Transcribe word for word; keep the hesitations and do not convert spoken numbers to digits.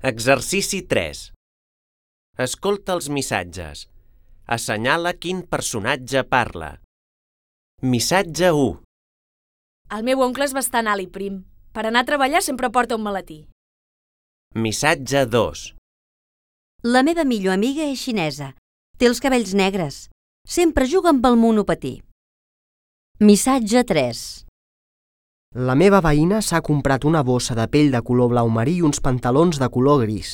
Exercici tres. Escolta els missatges. Assenyala quin personatge parla. Missatge u. El meu oncle és bastant alt i prim. Per anar a treballar sempre porta un maletí. Missatge dos. La meva millor amiga és xinesa. Té els cabells negres. Sempre juga amb el monopatí. Missatge tres. La meva veïna s'ha comprat una bossa de pell de color blau marí i uns pantalons de color gris.